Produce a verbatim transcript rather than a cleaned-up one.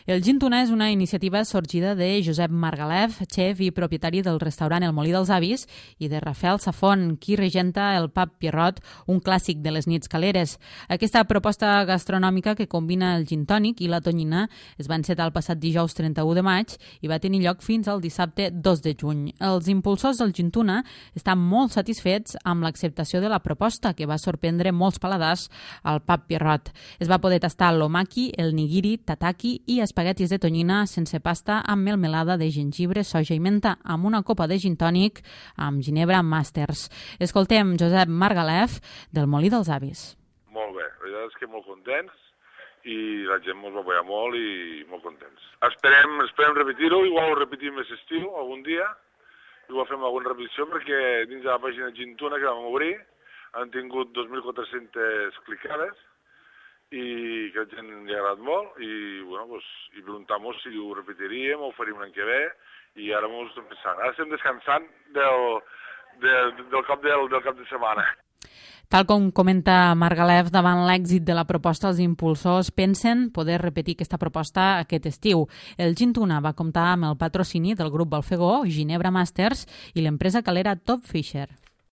El gin tuna és una iniciativa sorgida de Josep Margalef, xef i propietari del restaurant El Molí dels Avis, i de Rafael Safont, qui regenta el pub Pierrot, un clàssic de les nits caleres. Aquesta proposta gastronòmica que combina el gin tònic i la tonyina es va encetar el passat dijous trenta-u de maig i va tenir lloc fins al dissabte dos de juny. Els impulsors del gin tuna estan molt satisfets amb l'acceptació de la proposta, que va sorprendre molts paladars al pub Pierrot. Es va poder tastar l'omaki, el nigiri, tataki i espaguetis de tonyina sense pasta amb melmelada de gengibre, soja i menta, amb una copa de gin tònic amb ginebra Masters. Escoltem Josep Margalef del Molí dels Avis. Molt bé, la veritat és que molt contents i la gent ens va apoyar molt i molt contents. Esperem, esperem repetir-ho, igual ho repetim més estiu algun dia, igual fem alguna repetició perquè dins de la pàgina Gin Tuna que vam obrir han tingut dos mil quatre-centes clicades i que a la gent li ha agradat molt i, bueno, pues, i preguntam-nos si ho repetiríem o ho faríem l'any que ve i ara m'ho estem pensant. Ara estem descansant del, del, del, cap del, del cap de setmana. Tal com comenta Margalef, davant l'èxit de la proposta, els impulsors pensen poder repetir aquesta proposta aquest estiu. El gin tuna va comptar amb el patrocini del grup Balfegó, Ginebra Masters i l'empresa calera Top Fisher.